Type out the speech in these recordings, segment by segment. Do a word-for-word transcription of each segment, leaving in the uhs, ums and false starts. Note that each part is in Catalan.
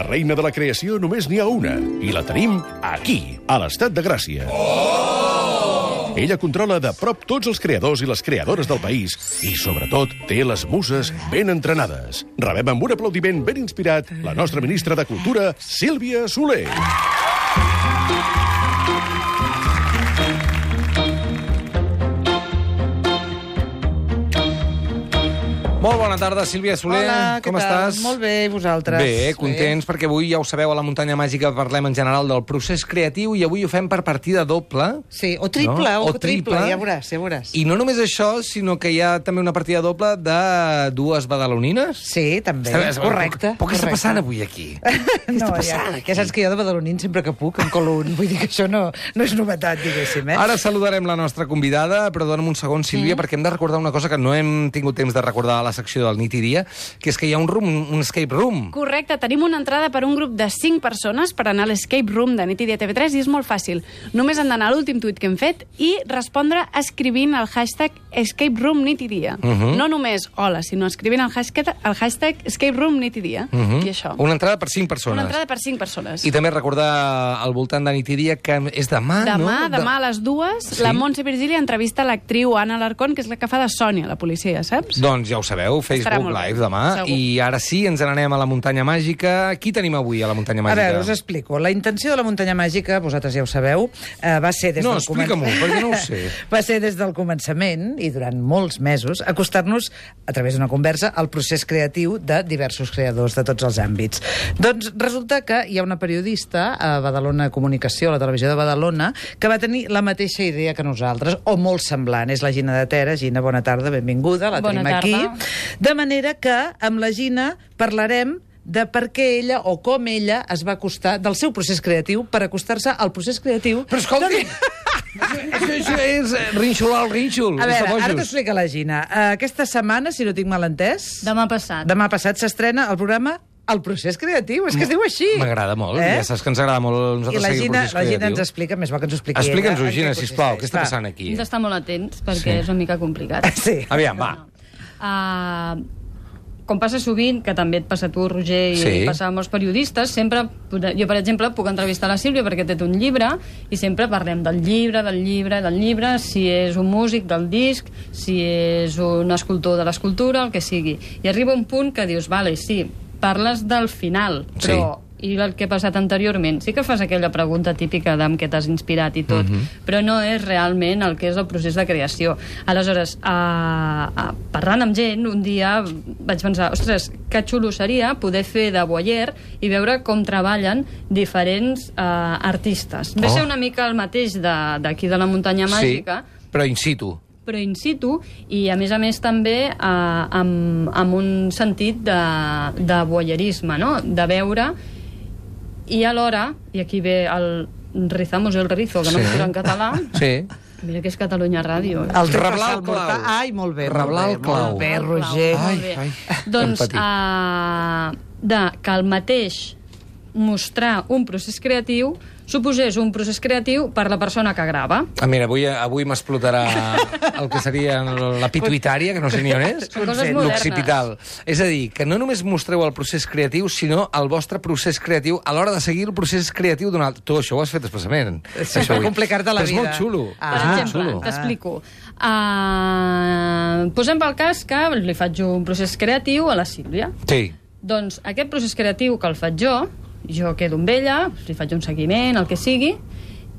La reina de la creació només n'hi ha una, i la tenim aquí, a l'Estat de Gràcia. Oh! Ella controla de prop tots els creadors i les creadores del país i, sobretot, té les muses ben entrenades. Rebem amb un aplaudiment ben inspirat la nostra ministra de Cultura, Sílvia Soler. Molt bona tarda, Sílvia Soler. Hola, com què tal? estàs? Molt bé, i vosaltres? Bé, contents, perquè avui, ja ho sabeu, a la Muntanya Màgica parlem en general del procés creatiu i avui ho fem per partida doble. Sí, o triple, no? o, o triple, triple, ja veuràs, ja veuràs. I no només això, sinó que hi ha també una partida doble de dues badalonines. Sí, també, Està, correcte. Però què està passant avui aquí? Què no, està passant ja, aquí? Que saps que jo de badalonín sempre que puc em colo un, vull dir que això no, no és novetat, diguéssim, eh? Ara saludarem la nostra convidada, però dona'm un segon, Sílvia, mm. perquè hem de recordar una cosa que no hem tingut temps de recordar a la secció del Nit i Dia, que és que hi ha un room, un escape room. Correcte, tenim una entrada per un grup de cinc persones per anar a l'escape room de Nit i Dia T V tres i és molt fàcil. Només han d'anar a l'últim tuit que hem fet i respondre escrivint el hashtag escape room nit i dia. Uh -huh. No només hola, sinó escrivint el hashtag, el hashtag escape room nit i dia. Uh -huh. I això. Una entrada per cinc persones. Una entrada per cinc persones. I també recordar al voltant de Nit i Dia que és demà, demà, no? Demà a les dues, sí? La Montse Virgili entrevista l'actriu Anna Alarcón, que és la que fa de Sònia, la policia, saps? Doncs ja ho sabeu, Facebook Live demà. Segur. I ara sí, ens n'anem a la Muntanya Màgica. Qui tenim avui a la Muntanya Màgica? A veure, us explico. La intenció de la Muntanya Màgica, vosaltres ja ho sabeu, eh, va ser des no, del explica-m'ho, començament... perquè no ho sé. Va ser des del començament, i durant molts mesos, acostar-nos, a través d'una conversa, al procés creatiu de diversos creadors de tots els àmbits. Doncs resulta que hi ha una periodista a Badalona Comunicació, a la televisió de Badalona, que va tenir la mateixa idea que nosaltres, o molt semblant. És la Gina de Tera. Gina, bona tarda, benvinguda, la bona tenim tarda. aquí. De manera que amb la Gina parlarem de per què ella, o com ella, es va acostar del seu procés creatiu per acostar-se al procés creatiu... Però escolti! Això, això és rinxolar el rínxol. A veure, ara t'ho explica la Gina. Uh, aquesta setmana, si no tinc mal entès... Demà passat. Demà passat s'estrena el programa El procés creatiu, és que es diu així. M'agrada molt, eh? Ja saps que ens agrada molt nosaltres I la seguir Gina, el procés la Gina creatiu. ens explica, més bo que ens ho expliqui Explica'ns-ho, ella, Gina, sisplau, què està passant aquí? Hem d'estar molt atents, perquè Sí. és una mica complicat. Sí. Aviam, va. Uh, com passa sovint, que també et passa a tu, Roger, i Sí. passa a molts periodistes, sempre, jo, per exemple, puc entrevistar la Sílvia perquè té un llibre, i sempre parlem del llibre, del llibre, del llibre, si és un músic, del disc, si és un escultor de l'escultura, el que sigui. I arriba un punt que dius, vale, sí, parles del final, però... Sí. I el que ha passat anteriorment. Sí que fas aquella pregunta típica d'amb què t'has inspirat i tot, uh -huh. però no és realment el que és el procés de creació. Aleshores, a, a, parlant amb gent, un dia vaig pensar, ostres, que xulo seria poder fer de voyeur i veure com treballen diferents uh, artistes. Ve Oh. ser una mica el mateix d'aquí de, de la Muntanya Màgica, Sí, però in situ. però in situ, i a més a més també eh, amb, amb un sentit de, de voyeurisme, no? De veure, i alhora, i aquí ve el rizamos el rizo, que no Sí. em surt en català, Sí. mira que és Catalunya Ràdio. El Reblar el clau. Ai, molt bé, Reblar el molt bé, clau. molt bé, El clau, Roger. molt Ai, bé. ai, Doncs, empatia. uh, de que el mateix mostrar un procés creatiu suposés un procés creatiu per la persona que grava. Ah, mira, avui, avui m'explotarà el que seria la pituitària, que no sé ni on és, Són coses modernes. l'occipital. És a dir, que no només mostreu el procés creatiu, sinó el vostre procés creatiu a l'hora de seguir el procés creatiu d'un altre. Tu això ho has fet expressament. Sí, això per avui. complicar-te la Però és vida. molt xulo. Ah. Per és molt exemple, xulo. t'explico. Uh, posem pel cas que li faig un procés creatiu a la Sílvia. Sí. Doncs aquest procés creatiu que el faig jo, jo quedo amb ella, li faig un seguiment, el que sigui,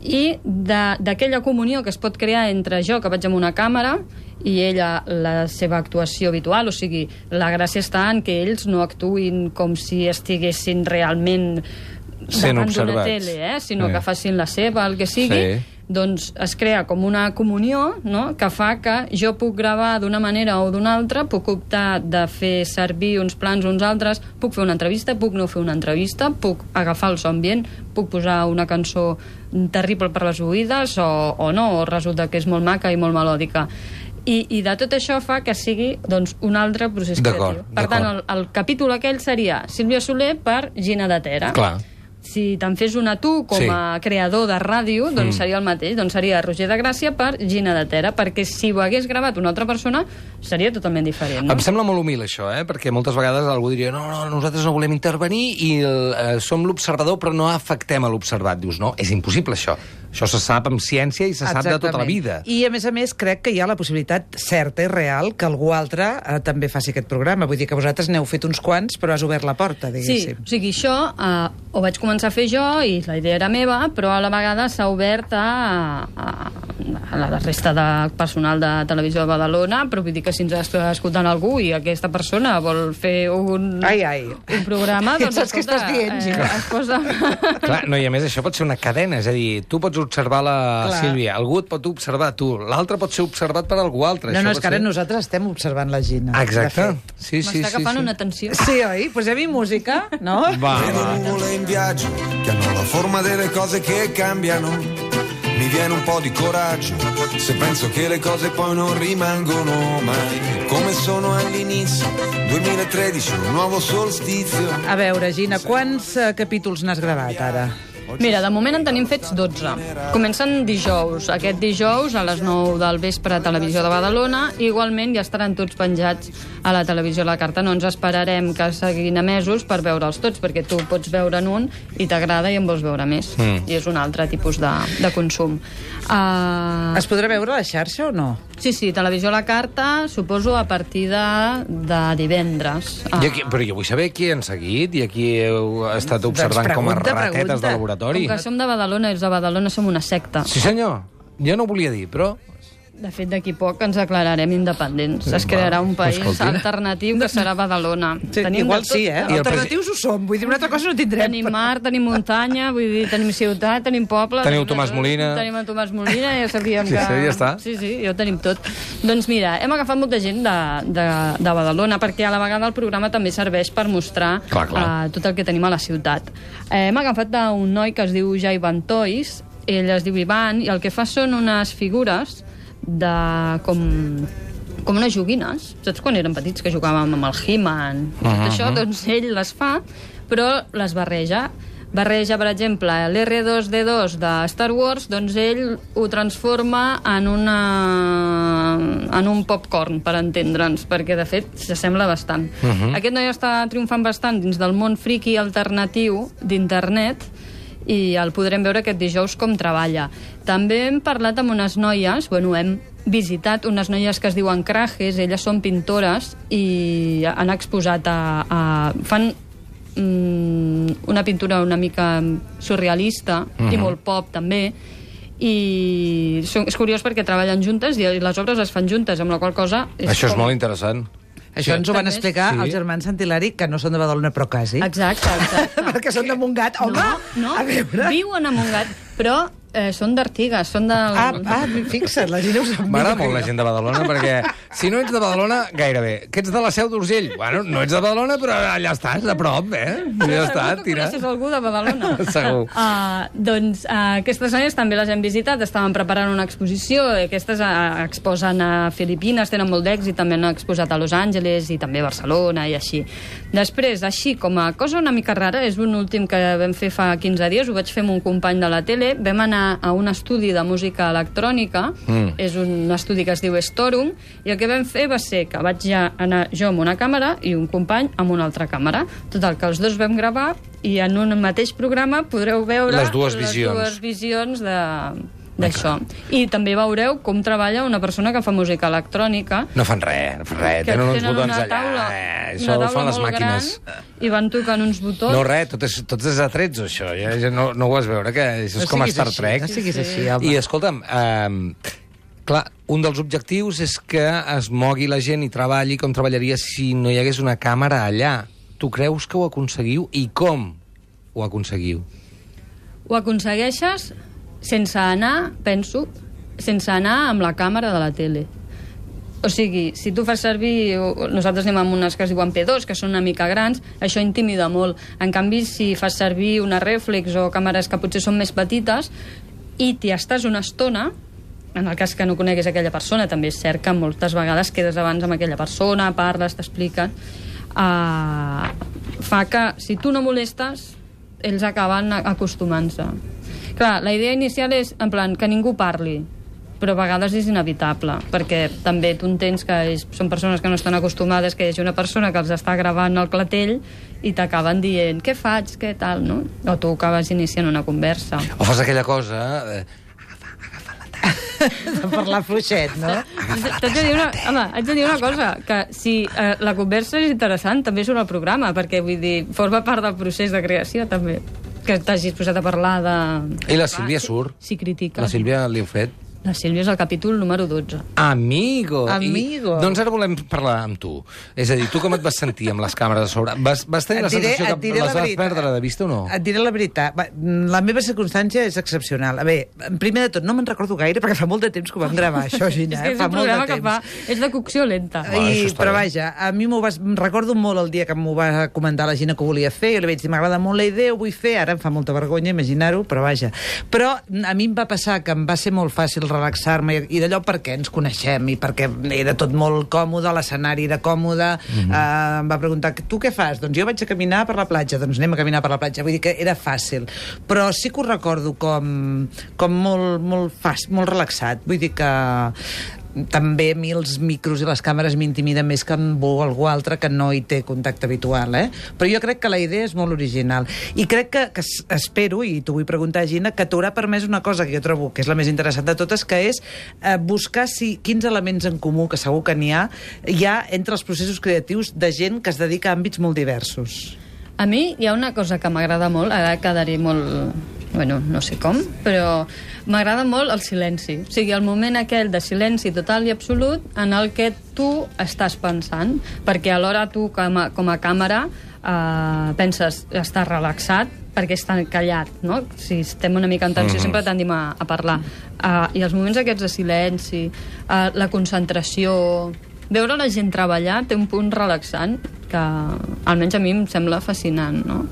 i d'aquella comunió que es pot crear entre jo, que vaig amb una càmera, i ella, la seva actuació habitual, o sigui, la gràcia està en que ells no actuïn com si estiguessin realment Sent davant d'una observats. tele, eh? sinó Sí. que facin la seva, el que sigui, Sí. doncs es crea com una comunió, no?, que fa que jo puc gravar d'una manera o d'una altra, puc optar de fer servir uns plans o uns altres, puc fer una entrevista, puc no fer una entrevista, puc agafar el so ambient, puc posar una cançó terrible per les oïdes o, o no, o resulta que és molt maca i molt melòdica. I, i de tot això fa que sigui doncs, un altre procés D'acord, creatiu. Per tant, el, el capítol aquell seria Sílvia Soler per Gina de Tera. Clar. si te'n fes una tu com Sí. a creador de ràdio, doncs mm. seria el mateix. Doncs seria Roger de Gràcia per Gina de Tera, perquè si ho hagués gravat una altra persona, seria totalment diferent, no? Em sembla molt humil, això, eh? Perquè moltes vegades algú diria no, no, nosaltres no volem intervenir i el, eh, som l'observador però no afectem a l'observat. Dius, no, és impossible, això. Això se sap amb ciència i se sap de tota la vida. I, a més a més, crec que hi ha la possibilitat certa i real que algú altre eh, també faci aquest programa. Vull dir que vosaltres n'heu fet uns quants, però has obert la porta, Sí, diguéssim. o sigui, això eh, ho vaig començar a fer jo i la idea era meva, però a la vegada s'ha obert a, a, a la resta de personal de Televisió de Badalona, però vull dir que si ens està escoltant algú i aquesta persona vol fer un, Ai, ai. un programa, doncs, Saps què estàs dient, Gina? eh, es posa... Clar, no, i a més això pot ser una cadena, és a dir, tu pots observar la Clar. Sílvia, algú et pot observar tu, l'altre pot ser observat per algú altre. No, Això no, pot és que ara ser... nosaltres estem observant la Gina. Exacte. de fet. Sí, sí, M'està sí, agafant sí. una atenció. Sí, oi? Posem-hi música, no? Va, Vedo va. nuvole in viaggio che hanno la forma delle cose che cambiano. Mi viene un po' di coraggio se penso che le cose poi non rimangono mai come sono all'inizio. duemilatredici, un nuovo solstizio. A veure, Gina, quants uh, capítols n'has gravat ara? Mira, de moment en tenim fets dotze. Comencen dijous. Aquest dijous, a les nou del vespre, a Televisió de Badalona. Igualment, ja estaran tots penjats a la Televisió a la Carta. No ens esperarem que seguin emesos per veure'ls tots, perquè tu pots veure'n un i t'agrada i en vols veure més. Mm. I és un altre tipus de, de consum. Uh... Es podrà veure a la xarxa o no? Sí, sí, Televisió a la Carta, suposo a partir de, de divendres. I aquí, però jo vull saber qui han seguit i aquí heu estat observant Doncs com a pregunta, ratetes pregunta. de laboratori. Com que som de Badalona, els de Badalona som una secta. Sí, senyor. Jo no ho volia dir, però... De fet, d'aquí poc ens declararem independents. Es crearà un país escolti. alternatiu que serà Badalona. Sí, igual de tot. sí, eh? I el Alternatius ho som, vull dir, una altra cosa no tindrem. Tenim mar, tenim muntanya, vull dir, tenim ciutat, tenim poble... Teniu tenim- Tomàs Molina. Tenim el Tomàs Molina, ja sabíem Sí, que... sí, ja està. Sí, sí, ja ho tenim tot. Doncs mira, hem agafat molta gent de, de, de Badalona, perquè a la vegada el programa també serveix per mostrar Clar, clar. Uh, tot el que tenim a la ciutat. Eh, hem agafat un noi que es diu Jaivan Toys, ell es diu Ivan, i el que fa són unes figures de com, com unes joguines. Saps quan érem petits que jugàvem amb el He-Man? Uh -huh. Això, doncs ell les fa, però les barreja. Barreja, per exemple, l'erre dos de dos de Star Wars, doncs ell ho transforma en una en un popcorn, per entendre'ns, perquè, de fet, s'assembla bastant. Uh -huh. Aquest noi està triomfant bastant dins del món friki alternatiu d'internet, i el podrem veure aquest dijous com treballa. També hem parlat amb unes noies, bueno, hem visitat unes noies que es diuen Crajes, elles són pintores i han exposat a... a fan mm, una pintura una mica surrealista uh-huh. i molt pop també, i és curiós perquè treballen juntes i les obres es fan juntes, amb la qual cosa... És Això és com... molt interessant. Això ens ho van També- explicar Sí. els germans Santilari, que no són de Badalona, però quasi. Exacte, exacte. Perquè són de Montgat. Home, no, no, a veure... viuen a Montgat, però eh, són d'Artigas, són del... Ah, ah, fixa't, la gent ho sap. M'agrada molt la gent de Badalona, perquè si no ets de Badalona, gairebé. Que ets de la Seu d'Urgell? Bueno, no ets de Badalona, però allà estàs, a prop, eh? Ja està, Segur que tira. coneixes algú de Badalona. Segur. Uh, doncs uh, aquestes noies també les hem visitat, estaven preparant una exposició, aquestes uh, exposen a Filipines, tenen molt d'èxit, també han exposat a Los Angeles i també a Barcelona i així. Després, així, com a cosa una mica rara, és un últim que vam fer fa quinze dies, ho vaig fer amb un company de la tele, vam anar a un estudi de música electrònica, mm. és un estudi que es diu Storum, i el que vam fer va ser que vaig ja anar jo amb una càmera i un company amb una altra càmera. Total, que els dos vam gravar i en un mateix programa podreu veure Les dues visions. les dues visions de d'això. I també veureu com treballa una persona que fa música electrònica. No fan res, no fan res. Que Tenen uns tenen botons una allà. taula, eh, una Això ho taula fan les molt màquines. gran, i van tocant uns botons. No, res, tot és, tot és atrets, això. Ja, ja no, no ho vas veure, que això és No com a siguis Star així, Trek. No siguis Sí, així, sí. home. I escolta'm, eh, clar, un dels objectius és que es mogui la gent i treballi com treballaria si no hi hagués una càmera allà. Tu creus que ho aconseguiu? I com ho aconseguiu? Ho aconsegueixes sense anar, penso, sense anar amb la càmera de la tele. O sigui, si tu fas servir... Nosaltres anem amb unes que es diuen pe dos, que són una mica grans, això intimida molt. En canvi, si fas servir una rèflex o càmeres que potser són més petites i t'hi estàs una estona, en el cas que no coneguis aquella persona, també és cert que moltes vegades quedes abans amb aquella persona, parles, t'expliquen, uh, fa que si tu no molestes, ells acaben acostumant-se. Clar, la idea inicial és, en plan, que ningú parli, però a vegades és inevitable, perquè també tu entens que és, són persones que no estan acostumades que hi hagi una persona que els està gravant el clatell i t'acaben dient, què faig, què tal, no? O tu acabes iniciant una conversa. O fas aquella cosa... Eh, de parlar fluixet, no? T'haig de dir una, home, haig de dir una cosa, que si eh, la conversa és interessant, també surt al programa, perquè, vull dir, forma part del procés de creació, també. Que t'hagis posat a parlar de... I la Sílvia surt. Si critica. La Sílvia li heu fet. La Sílvia és el capítol número dotze. Amigo! Amigo! I, doncs ara volem parlar amb tu. És a dir, tu com et vas sentir amb les càmeres a sobre? Vas, vas tenir Et la diré- sensació et que diré les la vas veritat. perdre de vista o no? Et diré la veritat. Va, la meva circumstància és excepcional. A veure, primer de tot, no me'n recordo gaire perquè fa molt de temps que ho vam gravar, això, Gina. És que eh? és fa un molt de programa que temps. fa... És de cocció lenta. Va, I, això està però bé. vaja, a mi m'ho vas... recordo molt el dia que m'ho va comentar la Gina que ho volia fer, i li vaig dir, m'agrada molt la idea, ho vull fer, ara em fa molta vergonya imaginar-ho, però vaja. Però a mi em va passar que em va ser molt fàcil relaxar-me, i d'allò perquè ens coneixem, i perquè era tot molt còmode, l'escenari era còmode, mm-hmm. eh, em va preguntar, tu què fas? Doncs jo vaig a caminar per la platja, doncs anem a caminar per la platja, vull dir que era fàcil. Però sí que ho recordo com, com molt, molt fàcil, molt relaxat, vull dir que també a mi els micros i les càmeres m'intimiden més que amb algú altre que no hi té contacte habitual, eh? Però jo crec que la idea és molt original. I crec que, que espero, i t'ho vull preguntar, Gina, que t'haurà permès una cosa que jo trobo que és la més interessant de totes, que és eh, buscar si, quins elements en comú, que segur que n'hi ha, hi ha entre els processos creatius de gent que es dedica a àmbits molt diversos. A mi hi ha una cosa que m'agrada molt, ara quedaré molt... Bueno, no sé com, però m'agrada molt el silenci. O sigui, el moment aquell de silenci total i absolut en el que tu estàs pensant, perquè alhora tu, com a, com a càmera, eh, penses, estàs relaxat, perquè està callat, no? Si estem una mica en tensió, mm-hmm. sempre tendim a, a parlar. Uh, I els moments aquests de silenci, uh, la concentració... Veure la gent treballar té un punt relaxant que almenys a mi em sembla fascinant, no?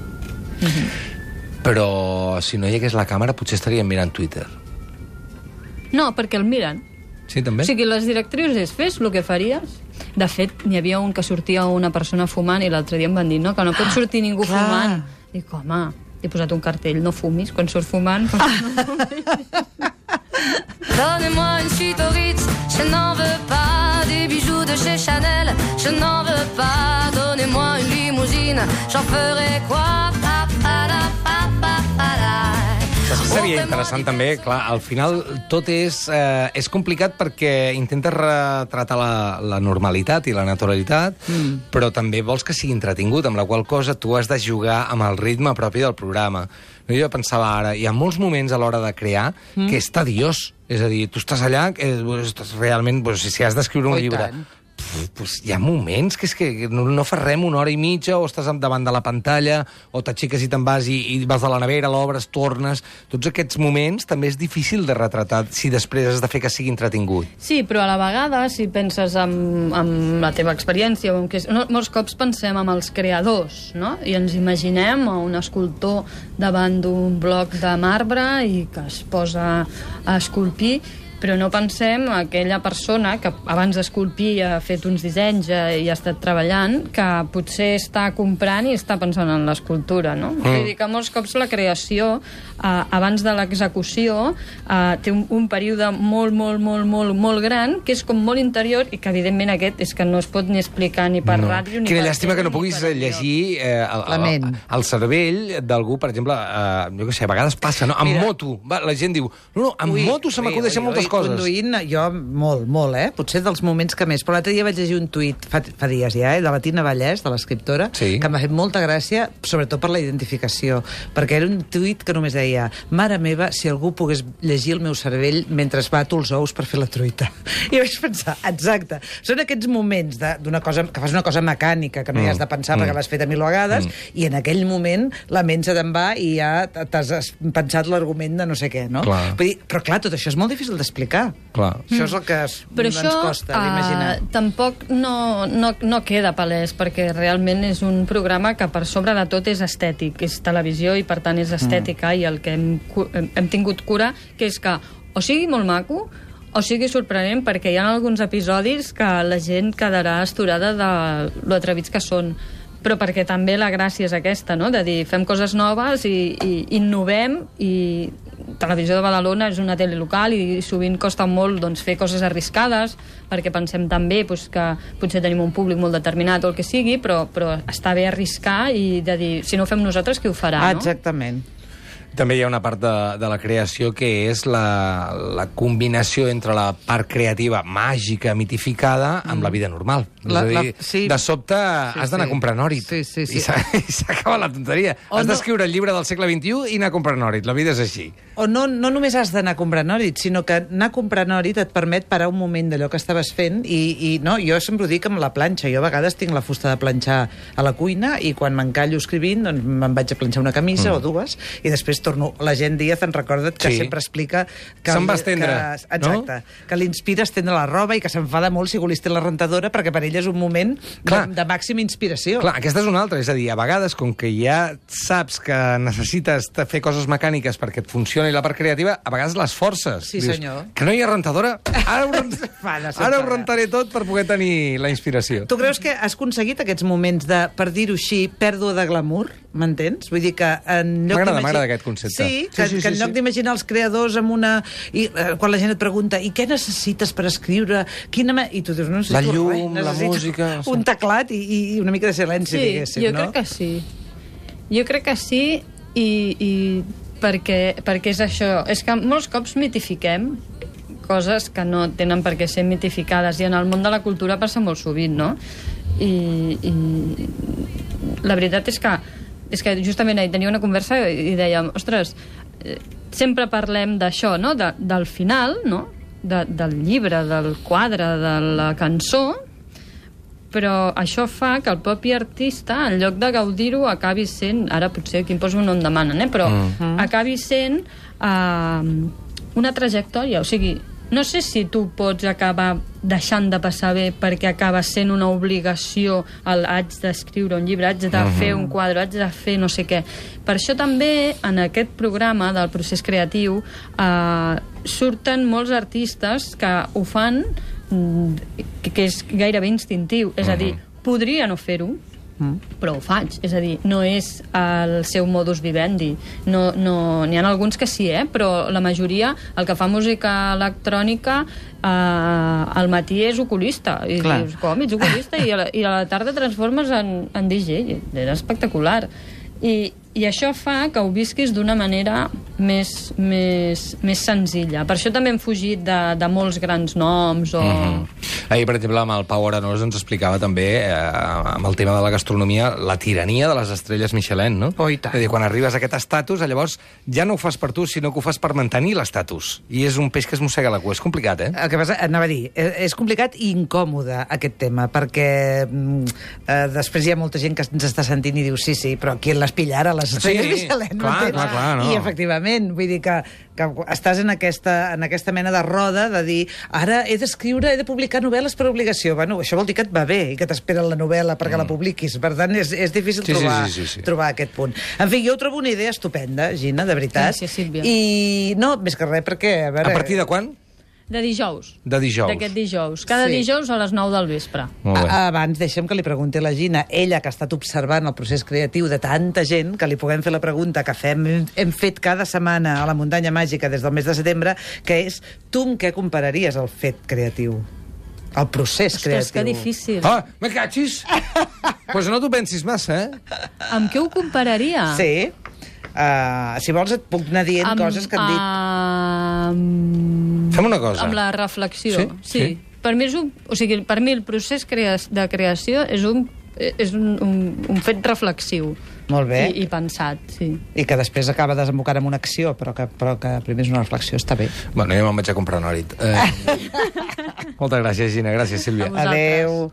Mm-hmm. Però si no hi hagués la càmera potser estaríem mirant Twitter. No, perquè el miren. Sí, també? O sigui, les directrius fes el que faries. De fet, n'hi havia un que sortia una persona fumant i l'altre dia em van dir, no, que no pot sortir ningú clar. fumant. Dic, home, he posat un cartell, no fumis, quan surt fumant... No fumis. Donnez-moi une suite au Ritz, je n'en veux pas. Des bijoux de chez Chanel, je n'en veux pas. Donnez-moi une limousine, j'en ferai quoi? Pa, pa, la, pa, pa, pa, la. Saps que seria interessant també? Clar, al final tot és, eh, és complicat perquè intentes retratar la, la normalitat i la naturalitat, mm. però també vols que sigui entretingut, amb la qual cosa tu has de jugar amb el ritme propi del programa. No, jo pensava ara, hi ha molts moments a l'hora de crear mm. que és tediós. És a dir, tu estàs allà, eh, estàs realment, doncs, si has d'escriure un Oh, llibre... tant. Pues hi ha moments que és que no, no fas res una hora i mitja, o estàs davant de la pantalla, o t'aixeques i te'n vas i, i vas a la nevera, l'obres, tornes... Tots aquests moments també és difícil de retratar si després has de fer que sigui entretingut. Sí, però a la vegada, si penses en, en la teva experiència, o en que, no, molts cops pensem en els creadors, no? I ens imaginem a un escultor davant d'un bloc de marbre i que es posa a esculpir, però no pensem en aquella persona que abans d'esculpir ha fet uns dissenys i ha estat treballant, que potser està comprant i està pensant en l'escultura, no? Mm. Vull dir que molts cops la creació, eh, abans de l'execució, eh, té un, un període molt, molt, molt, molt, molt gran, que és com molt interior, i que evidentment aquest és que no es pot ni explicar ni per No. ràdio, ni Quina per llàstima tele, que no ni puguis per llegir eh, el, La ment. el, el cervell d'algú, per exemple, eh, jo què sé, a vegades passa, no? En Mira. moto, va, la gent diu, no, no, en Ui, moto se ui, m'acudeixen ui, moltes ui, coses. Conduint, jo molt, molt, eh? Potser dels moments que més. Però l'altre dia vaig llegir un tuit, fa, fa dies ja, eh? De la Tina Vallès, de l'escriptora, Sí. que m'ha fet molta gràcia, sobretot per la identificació, perquè era un tuit que només deia, mare meva, si algú pogués llegir el meu cervell mentre bato els ous per fer la truita. I vaig pensar, exacte, són aquests moments de- d'una cosa, que fas una cosa mecànica, que no hi has de pensar Mm. perquè l'has fet a mil vegades, i en aquell moment la ment se te'n va i ja t'has pensat l'argument de no sé què, no? Clar. Vull dir, però clar, tot això és molt difícil d'explicar. Clar. Això és el que es, Però ens això costa d'imaginar. uh, tampoc no, no, no queda palès, perquè realment és un programa que per sobre de tot és estètic, és televisió i per tant és estètica, mm. i el que hem, cu- hem, hem tingut cura, que és que o sigui molt maco o sigui sorprenent, perquè hi ha alguns episodis que la gent quedarà astorada de lo atrevits que són, però perquè també la gràcia és aquesta, no? De dir, fem coses noves i, i innovem, i Televisió de Badalona és una tele local i sovint costa molt doncs, fer coses arriscades, perquè pensem també doncs, que potser tenim un públic molt determinat o el que sigui, però, però està bé arriscar i de dir, si no ho fem nosaltres, qui ho farà, Ah, no? exactament. També hi ha una part de, de la creació que és la, la combinació entre la part creativa màgica, mitificada, amb mm. la vida normal. La- és a dir, la- sí. de sobte Sí, has d'anar sí. a comprar nòrit. Sí, sí, sí. I s'ha- i s'acaba la tonteria. O has no- d'escriure el llibre del segle vint-i-u i anar a comprar nòrit. La vida és així. O no, no només has d'anar a comprar nòrit, sinó que anar a comprar nòrit et permet parar un moment d'allò que estaves fent i, i no, jo sempre ho dic amb la planxa. Jo a vegades tinc la fusta de planxar a la cuina i quan m'encallo escrivint doncs me'n vaig a planxar una camisa mm. o dues i després torno. La gent Díaz en recorda't que Sí. sempre explica que, Se'n va estendre, que, exacte, no? que l'inspira a estendre la roba i que s'enfada molt si li estén la rentadora perquè per ell és un moment Clar. de, de màxima inspiració. Clar, aquesta és una altra. És a dir, a vegades, com que ja saps que necessites fer coses mecàniques perquè et funcioni la part creativa, a vegades les forces. Sí, senyor. Que no hi ha rentadora? Ara ho, rent... Fada, Ara ho s'enfada. rentaré tot per poder tenir la inspiració. Tu creus que has aconseguit aquests moments de, per dir-ho així, pèrdua de glamour? M'entens? Vull dir que en lloc M'agrada, d'imagi- m'agrada aquest concepte. Sí, Sí, que, sí, que sí, en lloc sí. d'imaginar els creadors amb una... I, eh, quan la gent et pregunta, i què necessites per escriure? Quina me... I tu dius, no necessito La llum, res, la necessito música, sí. un teclat i, i una mica de silenci, Sí, diguéssim, jo no? crec que sí. Jo crec que sí i, i perquè, perquè és això. És que molts cops mitifiquem coses que no tenen per què ser mitificades i en el món de la cultura passa molt sovint, no? I, i la veritat és que és que justament ahir tenia una conversa i dèiem, ostres, eh, sempre parlem d'això, no? De, del final, no? De, del llibre, del quadre, de la cançó, però això fa que el propi artista, en lloc de gaudir-ho, acabi sent, ara potser aquí em poso un on demanen, eh? Però Mm. acabi sent eh, una trajectòria, o sigui, no sé si tu pots acabar deixant de passar bé perquè acaba sent una obligació el haig d'escriure un llibre, haig de Mhm. fer un quadre, haig de fer no sé què. Per això també en aquest programa del procés creatiu eh, surten molts artistes que ho fan mm, que, que és gairebé instintiu, és a dir, podria no fer-ho, però ho faig, és a dir, no és el seu modus vivendi, no, no, n'hi ha alguns que sí, eh? Però la majoria, el que fa música electrònica eh, al matí és oculista i Clar. dius, com, ets oculista? I a la, i a la tarda transformes en, en D J, era espectacular i, i això fa que ho visquis d'una manera més, més, més senzilla. Per això també hem fugit de, de molts grans noms o... Mhm. Ahir, per exemple, amb el Pau Arenós ens explicava també, eh, amb el tema de la gastronomia, la tirania de les estrelles Michelin, no? Oh, i tant. És a dir, quan arribes a aquest estatus, llavors ja no ho fas per tu, sinó que ho fas per mantenir l'estatus. I és un peix que es mossega la cua. És complicat, eh? El que passa, anava a dir, eh, és complicat i incòmode aquest tema, perquè mm, eh, després hi ha molta gent que ens està sentint i diu sí, sí, però qui les pillara, les estrelles Sí, Michelin, clar, m'entens? clar, clar, no. I efectivament, vull dir que, que estàs en aquesta, en aquesta mena de roda de dir, ara he d'escriure, he de publicar novel·les per obligació. Bueno, això vol dir que et va bé i que t'espera la novel·la perquè la publiquis. Per tant, és, és difícil Sí, sí, trobar, sí, sí, sí. trobar aquest punt. En fi, jo ho trobo una idea estupenda, Gina, de veritat. Gràcies, Sílvia. I no, més que res, perquè... A, veure, A partir de quan? De dijous. De dijous. D'aquest dijous. Cada Sí. dijous a les nou del vespre. Molt bé. A- Abans, deixem que li pregunti a la Gina, ella que ha estat observant el procés creatiu de tanta gent, que li puguem fer la pregunta que fem, hem fet cada setmana a la Muntanya Màgica des del mes de setembre, que és, tu amb què compararies el fet creatiu? El procés Ostres, que creatiu. difícil. Ah, me cachis! Pues no t'ho pensis massa, eh? Amb què ho compararia? Sí. Uh, si vols et puc anar dient Amb, coses que han dit. Amb... Fem una cosa. Amb la reflexió. Sí? Sí. Sí. Per mi, és un, o sigui, per mi el procés crea de creació és un, és un, un, un fet reflexiu. Molt bé. I, i pensat, sí. I que després acaba desembocant en una acció, però que, però que primer és una reflexió, està bé. Bueno, jo me'n vaig a comprar nòrit. Eh... Moltes gràcies, Gina. Gràcies, Sílvia. A vosaltres. Adeu.